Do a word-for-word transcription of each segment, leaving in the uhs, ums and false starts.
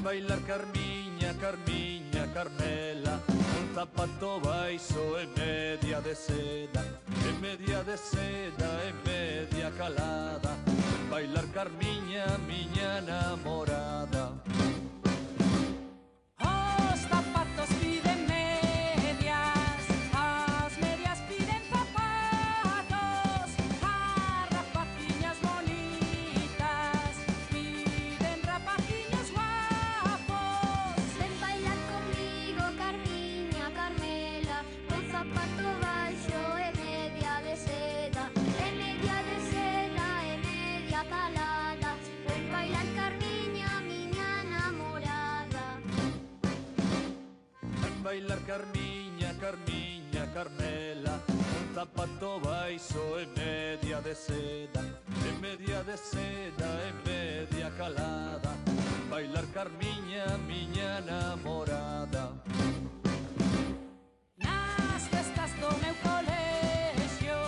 bailar Carmiña, Carmiña, Carmela, un zapato baixo e media de seda, e media de seda e media calada. Bailar Carmiña, miña namorada. Os zapatos piden medias, as medias piden zapatos, as rapaciñas bonitas piden rapaciños guapos. Ven bailar comigo, Carmiña, Carmela, con zapato baixo e media de seda, e media de seda e media calada. Ven bailar Carmiña, miña namorada. Ven bailar Carmiña, Carmiña, Carmela, un zapato baixo e media de seda, e media de seda e media calada. Bailar Carmiña, miña namorada. Nas festas do meu colexio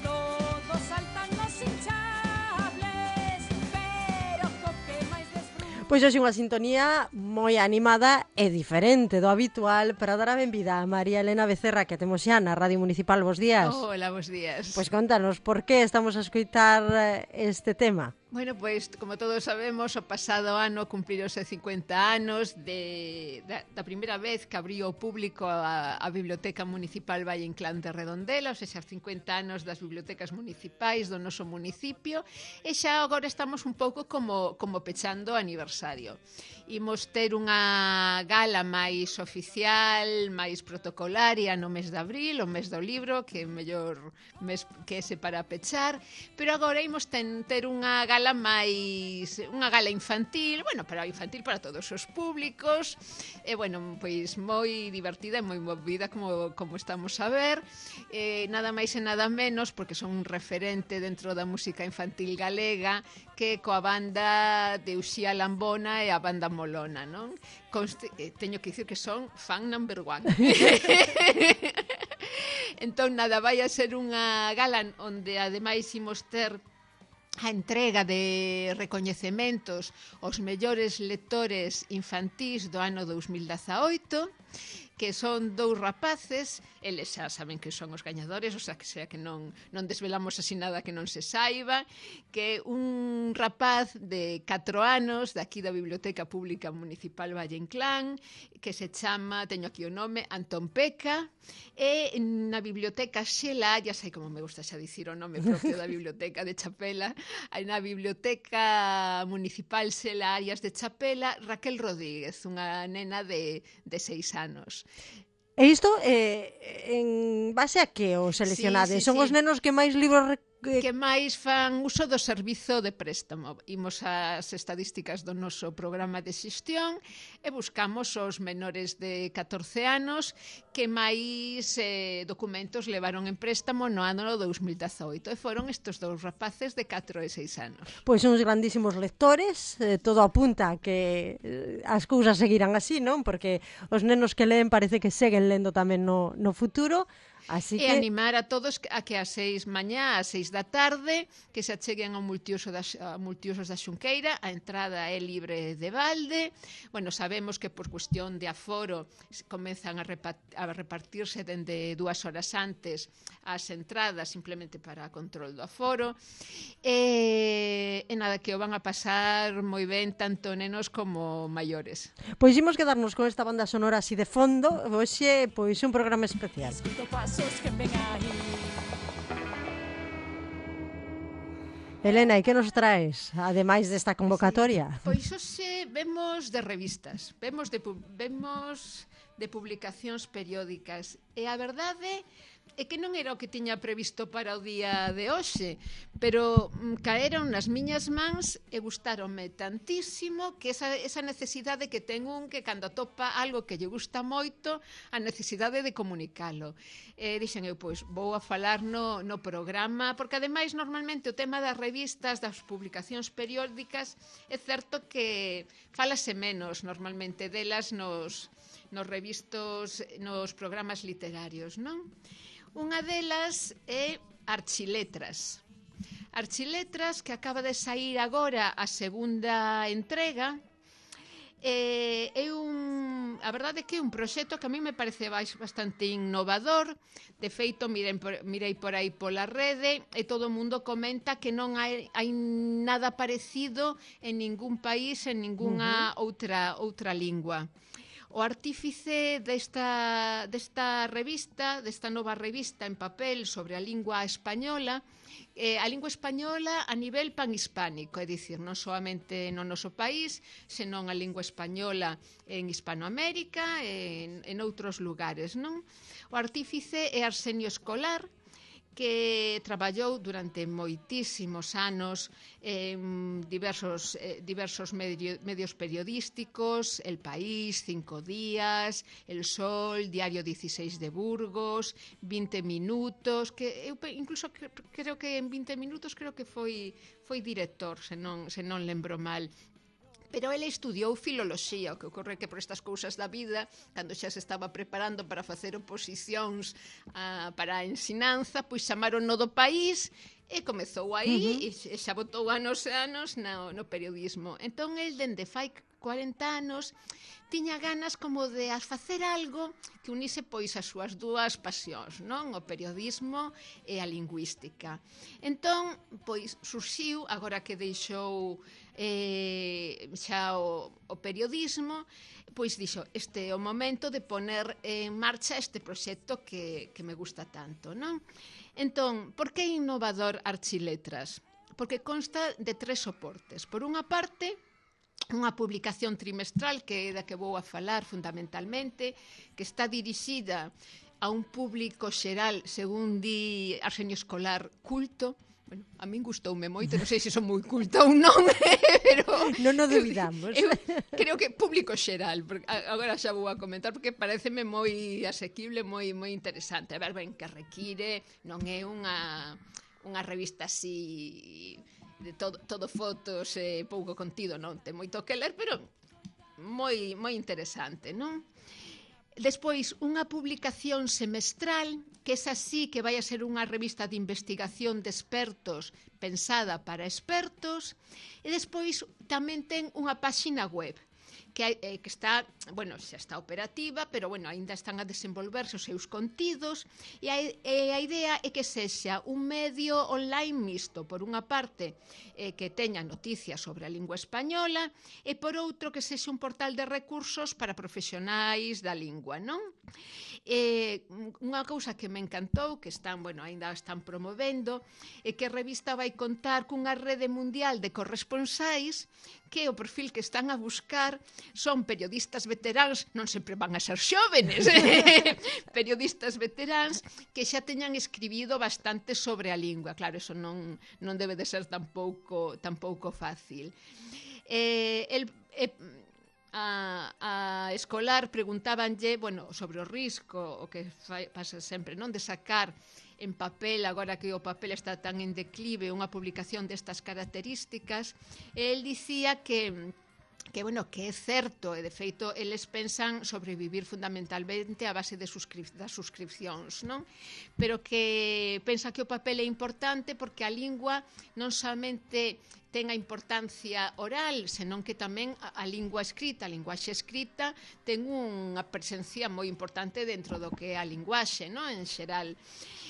todos saltan os hinchables, pero co que máis desfruto. Pois hoxe unha sintonía moi animada e diferente do habitual para dar a benvida a María Elena Becerra, que temos xa na Radio Municipal. Bos días. Hola, bos días. Pois contanos, por que estamos a escoitar eh, este tema? Bueno, pois, como todos sabemos, o pasado ano cumprironse cincuenta anos de, da, da primeira vez que abriu ao público a, a Biblioteca Municipal Valle Inclán de Redondela, ou seja, cincuenta anos das bibliotecas municipais do noso municipio, e xa agora estamos un pouco como, como pechando o aniversario. Imos ter unha gala máis oficial, máis protocolaria no mes de abril, o mes do libro, que é mellor mes que ese para pechar, pero agora imos ten, ter unha gala máis, unha gala infantil, bueno, para infantil para todos os públicos, e bueno, pois moi divertida e moi movida como, como estamos a ver, eh, nada máis e nada menos, porque son un referente dentro da música infantil galega, que coa banda de Uxía Lambona e a banda Molona, non? Conste, eh, teño que dicir que son fan number one. Entón, nada, vai a ser unha gala onde ademais imos ter a entrega de recoñecementos aos mellores lectores infantís do ano dous mil dezaoito, que son dous rapaces, eles xa saben que son os gañadores, o sea, que sea que non, non desvelamos así nada que non se saiba, que un rapaz de catro anos, daqui da Biblioteca Pública Municipal Valle Inclán, que se chama, teño aquí o nome, Antón Peca, e na Biblioteca Xela, ya sei como me gusta xa dicir o nome propio da Biblioteca de Chapela, na Biblioteca Municipal Xela Arias de Chapela, Raquel Rodríguez, unha nena de, de seis anos. E isto, eh, en base a que os seleccionades? Sí, sí, Son sí. os nenos que máis libros rec- Que máis fan uso do servizo de préstamo. Imos ás estadísticas do noso programa de xestión e buscamos os menores de catorce anos que máis eh, documentos levaron en préstamo no ano dous mil dezaoito, e foron estes dous rapaces de catro e seis anos. Pois son uns grandísimos lectores, eh, todo apunta a que eh, as cousas seguirán así, non? Porque os nenos que leen parece que seguen lendo tamén no, no futuro. Así E que animar a todos a que ás seis mañá, ás seis da tarde, que se acheguen ao multiuso da, a multiusos da Xunqueira, a entrada é libre de balde. Bueno, sabemos que por cuestión de aforo comezan a, repa a repartirse dende dúas horas antes as entradas simplemente para control do aforo. E, e nada, que o van a pasar moi ben tanto nenos como maiores. pois imos quedarnos con esta banda sonora así de fondo. Hoxe, pois un programa especial. Escuto pasos que ven aí. Elena, e que nos traes, ademais desta convocatoria? Pois hoxe vemos de revistas, vemos de, vemos de publicacións periódicas, e a verdade é que non era o que tiña previsto para o día de hoxe, pero mm, caeron nas miñas mans e gustáronme tantísimo que esa, esa necesidade que ten un que cando atopa algo que lle gusta moito, a necesidade de comunicalo. E dixen eu, pois, vou a falar no, no programa, porque ademais normalmente o tema das revistas, das publicacións periódicas, é certo que falase menos normalmente delas nos, nos revistos, nos programas literarios, non? Unha delas é Archiletras. Archiletras, que acaba de sair agora a segunda entrega, Eh, é un, a verdade é que é un proxecto que a mí me parece bastante innovador. De feito, mirei por, mirei por aí pola rede e todo o mundo comenta que non hai, hai nada parecido en ningún país, en ningunha uh-huh. outra, outra lingua. O artífice desta, desta revista, desta nova revista en papel sobre a lingua española, eh, a lingua española a nivel panhispánico, é dicir, non solamente no noso país, senón a lingua española en Hispanoamérica e en, en outros lugares, non? O artífice é Arsenio Escolar, que traballou durante moitísimos anos en diversos, eh, diversos medio, medios periodísticos, El País, Cinco Días, El Sol, Diario dieciséis de Burgos, vinte minutos, que eu incluso cre, creo que en vinte minutos creo que foi, foi director, se non, se non lembro mal. Pero ele estudiou filoloxía, o que ocorre que por estas cousas da vida, cando xa se estaba preparando para facer oposicións a, para a ensinanza, pois chamaron no do País e comezou aí uh-huh. e xa botou anos e anos no, no periodismo. Entón, el, dende fai cuarenta anos, tiña ganas como de facer algo que unise pois as súas dúas pasións, non? O periodismo e a lingüística. Entón, pois, surxiu, agora que deixou eh, xa o, o periodismo, pois dixo, este é o momento de poner en marcha este proxecto que, que me gusta tanto, non? Entón, por que innovador Archiletras? Porque consta de tres soportes. Por unha parte, unha publicación trimestral que é da que vou a falar fundamentalmente, que está dirixida a un público xeral, según di Arsenio Escolar, culto. Bueno, a min gustoume moito, non sei se son moi culta ou non, pero non o dubidamos. Eu, eu creo que público xeral, porque agora xa vou a comentar, porque pareceme moi asequible, moi moi interesante. A ver, ben, que require, non é unha unha revista así de todo, todo fotos e eh, pouco contido, non ten moito que ler, pero moi moi interesante, non? Despois, unha publicación semestral, que é así que vai a ser unha revista de investigación de expertos pensada para expertos, e despois tamén ten unha páxina web que, hai, eh, que está, bueno, xa está operativa, pero bueno, aínda están a desenvolverse os seus contidos, e a, e a idea é que sexa un medio online mixto, por unha parte eh, que teña noticias sobre a lingua española, e por outro que sexa un portal de recursos para profesionais da lingua, non? Eh, unha cousa que me encantou, que están, bueno, aínda están promovendo, é que a revista vai contar cunha rede mundial de corresponsais que o perfil que están a buscar son periodistas veteráns, non sempre van a ser xóvenes, periodistas veteráns que xa teñan escribido bastante sobre a lingua. Claro, eso non, non debe de ser tampouco, tampouco fácil. Eh, el, eh, a, a Escolar preguntábanlle, bueno, sobre o risco, o que fai, pasa sempre, non, de sacar en papel, agora que o papel está tan en declive, unha publicación destas características. El dicía que que, bueno, que é certo, e de feito eles pensan sobrevivir fundamentalmente a base de suscrip das suscripcións, non? Pero que pensa que o papel é importante porque a lingua non somente ten a importancia oral, senón que tamén a, a lingua escrita, a linguaxe escrita, ten unha presencia moi importante dentro do que é a linguaxe, non? En xeral.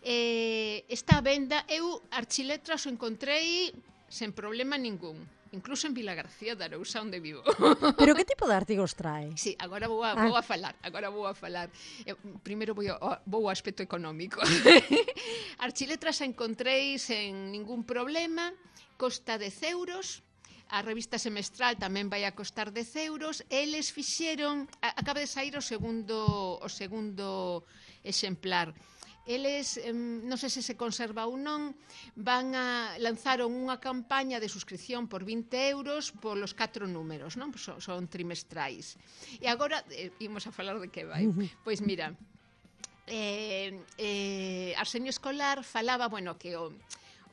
Eh, está a venda, eu Archiletras o encontrei sen problema ningún, incluso en Vilagarcía de Arousa, onde vivo. Pero que tipo de artigos trae? Sí, agora vou a, ah. vou a falar, agora vou a falar. Eu, primeiro vou, a, vou ao aspecto económico. Archiletras a encontrei sen ningún problema, costa dez euros, a revista semestral tamén vai a costar dez euros, eles fixeron, a, acaba de sair o segundo, o segundo exemplar. Eles, eh, non sei se se conserva ou non, van a lanzaron unha campaña de suscripción por vinte euros polos catro números, non? Son, son trimestrais. E agora, eh, imos a falar de que vai. Pois mira, eh, eh, Arsenio Escolar falaba, bueno, que o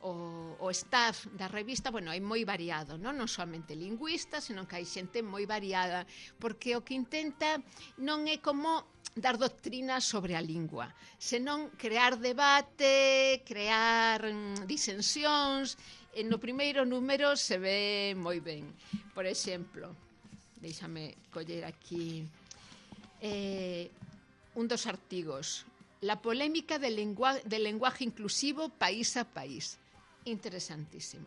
O, o staff da revista, bueno, é moi variado, non? Non somente lingüistas, senón que hai xente moi variada, porque o que intenta non é como dar doctrina sobre a lingua, senón crear debate, crear mm, disensións. E no primeiro número se ve moi ben. Por exemplo, Déixame coller aquí eh, un dos artigos. La polémica del, lengua, del lenguaje inclusivo país a país. Interesantísimo.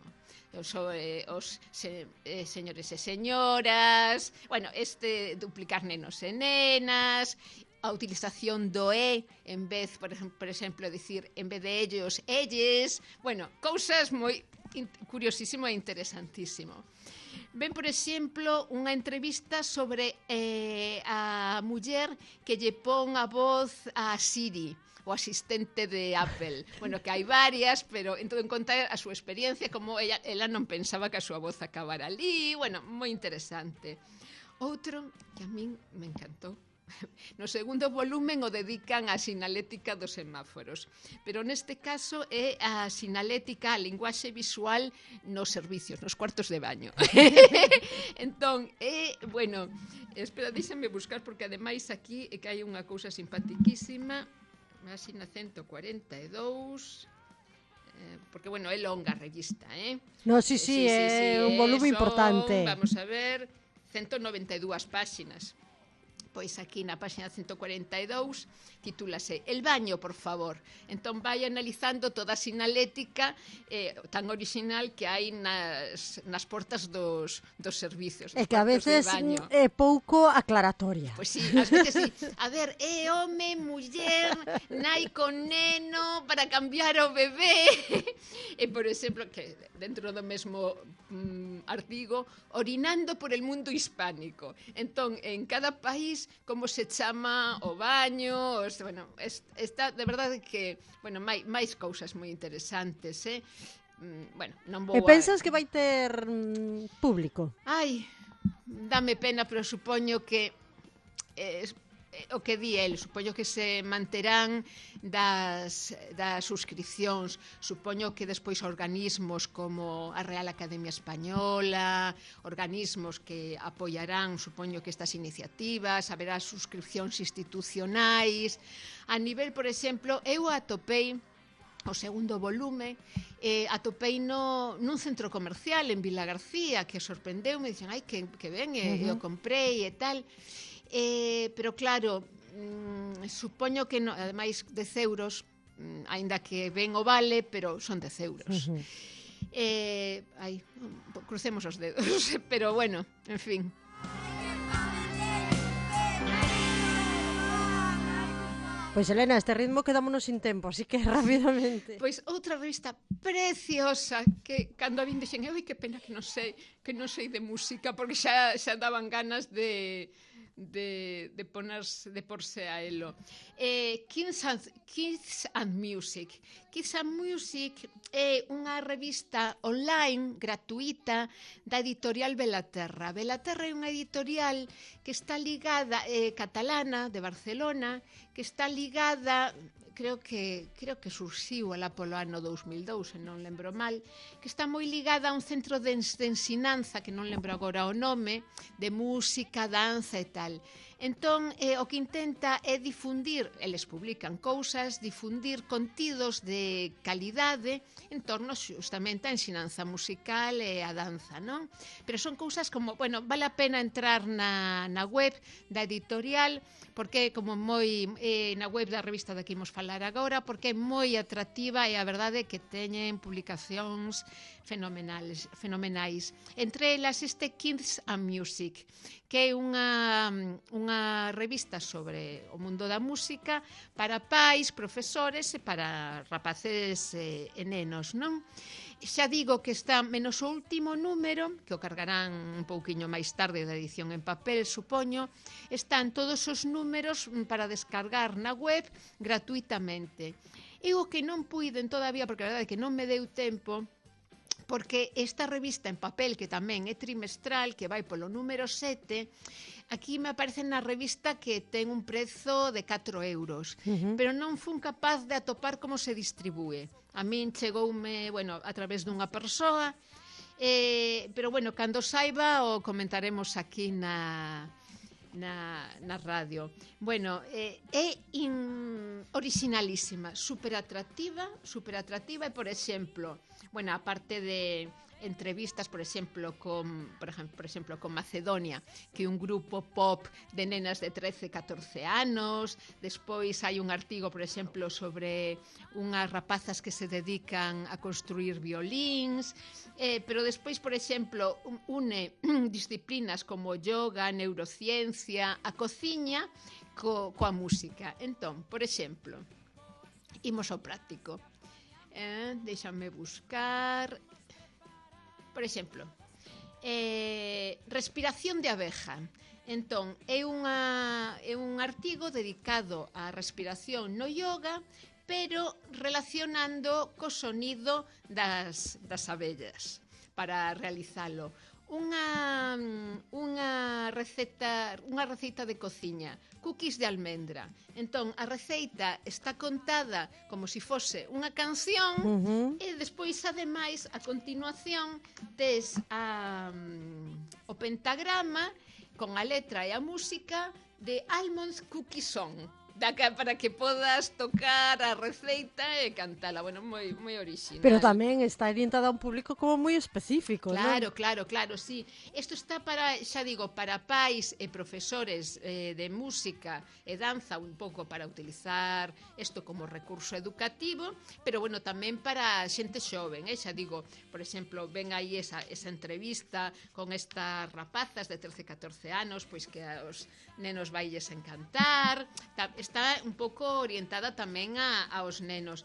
Os, eh, os se, eh, señores e señoras, bueno, este duplicar nenos e nenas, a utilización do e en vez, por exemplo, por exemplo dicir en vez de ellos, elles, bueno, cousas moi curiosísimo e interesantísimo. Ven, por exemplo, unha entrevista sobre eh, a muller que lle pon a voz a Siri, o asistente de Apple. Bueno, que hai varias, pero en todo en conta a súa experiencia, como ella, ela non pensaba que a súa voz acabara ali. Bueno, moi interesante. Outro que a min me encantou. No segundo volumen o dedican á sinalética dos semáforos, pero neste caso é a sinalética, a linguaxe visual nos servicios, nos cuartos de baño. Entón, é, bueno, espera, deixame buscar, porque ademais aquí é que hai unha cousa simpatiquísima, Máxina ciento cuarenta e dous, eh, porque, bueno, é longa a revista, eh? No, sí, sí, sí, é sí, sí, un volume son, importante. Vamos a ver, ciento noventa e dúas páxinas. Pois aquí na páxina ciento cuarenta e dous titúlase El baño, por favor. Entón vai analizando toda a sinalética eh, tan original que hai nas, nas portas dos, dos servicios. É que a veces é pouco aclaratoria. Pois sí, ás veces sí. A ver, é home, muller, nai con neno para cambiar o bebé. E, por exemplo, que dentro do mesmo mm, artigo, orinando por el mundo hispánico. Entón, en cada país como se chama o baño, os, bueno, es, está de verdade que, bueno, máis, máis cousas moi interesantes, eh? Mm, bueno, non vou E pensas a... que vai ter mm, público? Ai, dame pena, pero supoño que eh, o que di el, supoño que se manterán das, das suscripcións, supoño que despois organismos como a Real Academia Española, organismos que apoiarán, supoño que estas iniciativas, haberá suscripcións institucionais. A nivel, por exemplo, eu atopei o segundo volume, eh, atopei no, nun centro comercial en Vila García, que sorprendeu, me dixen, ai, que, que ben, e, uh-huh. eu comprei e tal. Eh, pero claro, mm, supoño que no, ademais dez euros, mm, aínda que ben o vale, pero son dez euros. Uh-huh. eh, ai, crucemos os dedos, pero bueno, en fin. Pois, Elena, este ritmo quedámonos sin tempo, así que rapidamente. Pois outra revista preciosa que cando a vin dixen, oi, que pena que non sei, que non sei de música, porque xa xa daban ganas de de de ponerse de porse a elo. Eh, Kids and, Kids and Music. Kids and Music é unha revista online gratuita da editorial Belaterra. Belaterra é unha editorial que está ligada eh, catalana de Barcelona, que está ligada, creo que creo que surxiu alá polo ano dous mil dous, se non lembro mal, que está moi ligada a un centro de, de ensinanza, que non lembro agora o nome, de música, danza e tal. Entón, eh, o que intenta é difundir, eles publican cousas, difundir contidos de calidade en torno justamente a ensinanza musical e a danza, non? Pero son cousas como, bueno, vale a pena entrar na, na web da editorial, porque como moi eh, na web da revista da que imos falar agora, porque é moi atractiva e a verdade é que teñen publicacións fenomenales, fenomenais. Entre elas este Kids and Music, que é unha, unha revista sobre o mundo da música para pais, profesores e para rapaces e, e nenos, non? Xa digo que está menos o último número, que o cargarán un pouquiño máis tarde da edición en papel, supoño, están todos os números para descargar na web gratuitamente. E o que non puiden todavía, porque a verdade é que non me deu tempo, porque esta revista en papel, que tamén é trimestral, que vai polo número sete, aquí me aparece na revista que ten un prezo de catro euros, uh-huh. pero non fun capaz de atopar como se distribúe. A min chegoume, bueno, a través dunha persoa, eh, pero, bueno, cando saiba o comentaremos aquí na... Na, na radio. Bueno, eh, é in, originalísima, super atractiva, super atractiva e, por exemplo, bueno, aparte de entrevistas, por exemplo, con, por exemplo, por exemplo, con Macedonia, que é un grupo pop de nenas de trece, catorce anos. Despois hai un artigo, por exemplo, sobre unhas rapazas que se dedican a construir violíns, eh, pero despois, por exemplo, une disciplinas como yoga, neurociencia, a cociña co, coa música. Entón, por exemplo, imos ao práctico. Eh, déxame buscar... Por exemplo, eh, respiración de abeja. Entón, é, unha, é un artigo dedicado á respiración no yoga, pero relacionando co sonido das, das abellas para realizalo. Unha, unha receta unha receita de cociña, cookies de almendra. Entón, a receita está contada como se si fose unha canción, uh-huh. E despois, ademais, a continuación tes a, um, o pentagrama con a letra e a música de Almond Cookie Song, para que podas tocar a receita e cantala. Bueno, moi, moi orixinal. Pero tamén está orientada a un público como moi específico, Claro, non? claro, claro, sí. Isto está para, xa digo, para pais e profesores eh, de música e danza, un pouco para utilizar isto como recurso educativo, pero bueno, tamén para xente xoven, eh? Xa digo, por exemplo, ven aí esa, esa entrevista con estas rapazas de trece, catorce anos, pois que aos nenos vailles encantar. Está un pouco orientada tamén a, aos nenos.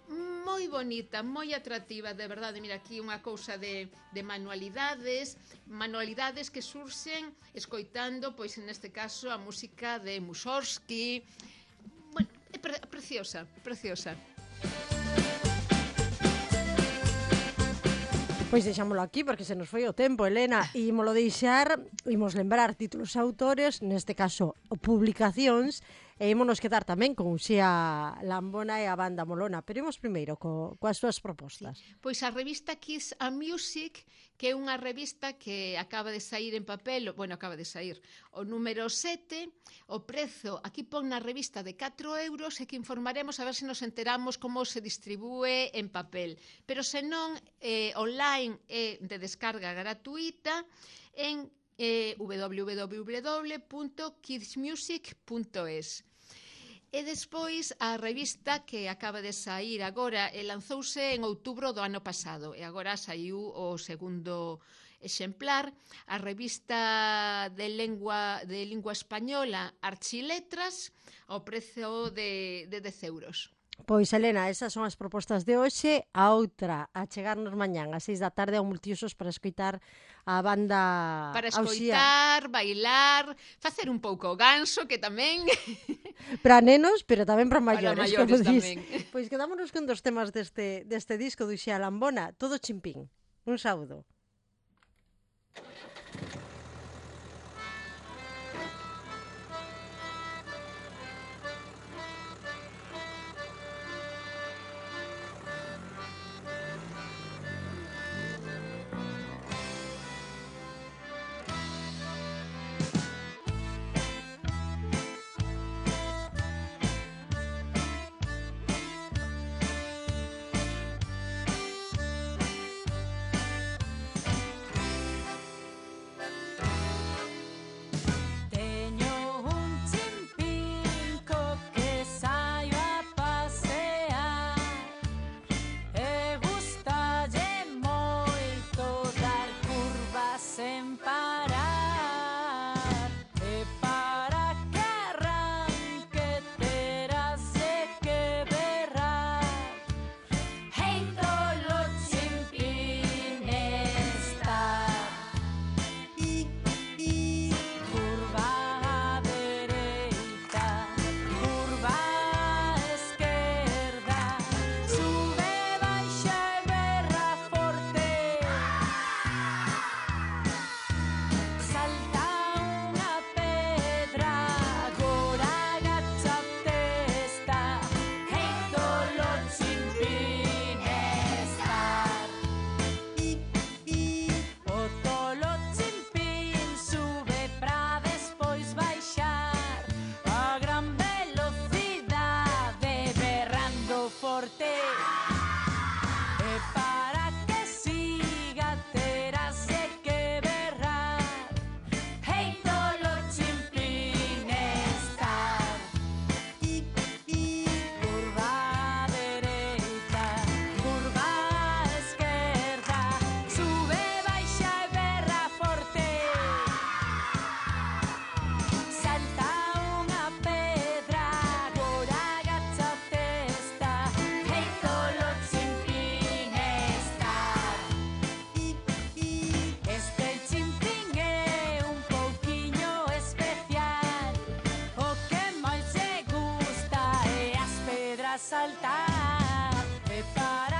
Moi bonita, moi atractiva, de verdade. Mira, aquí unha cousa de, de manualidades, manualidades que surxen escoitando, pois neste caso, a música de Mussorgsky. Bueno, é pre preciosa, preciosa. Pois deixámolo aquí porque se nos foi o tempo, Elena, e ímolo deixar, imos lembrar títulos e autores, neste caso publicacións, e ímonos quedar tamén con Uxía Lambona e a banda Molona, pero imos primeiro co, coas súas propostas. Sí. Pois a revista Kiss and Music, que é unha revista que acaba de sair en papel, bueno, acaba de sair o número sete, o prezo aquí pon na revista de catro euros, e que informaremos a ver se nos enteramos como se distribúe en papel, pero se non, eh, online é de descarga gratuita en eh, w w w punto kids music punto es. E despois a revista que acaba de sair agora, e lanzouse en outubro do ano pasado, e agora saiu o segundo exemplar, a revista de lengua, de lingua española Archiletras, ao prezo de, de dez euros. Pois, Elena, esas son as propostas de hoxe. A outra, a chegarnos mañán ás seis da tarde ao Multiusos para escoitar a banda Para escoitar, Auxía. bailar, facer un pouco o ganso, que tamén... Para nenos, pero tamén para maiores. Para maiores tamén. Pois quedámonos con dos temas deste, deste disco do Uxía Lambona, Todo Chimpín. Un saúdo. forte e para que siga E para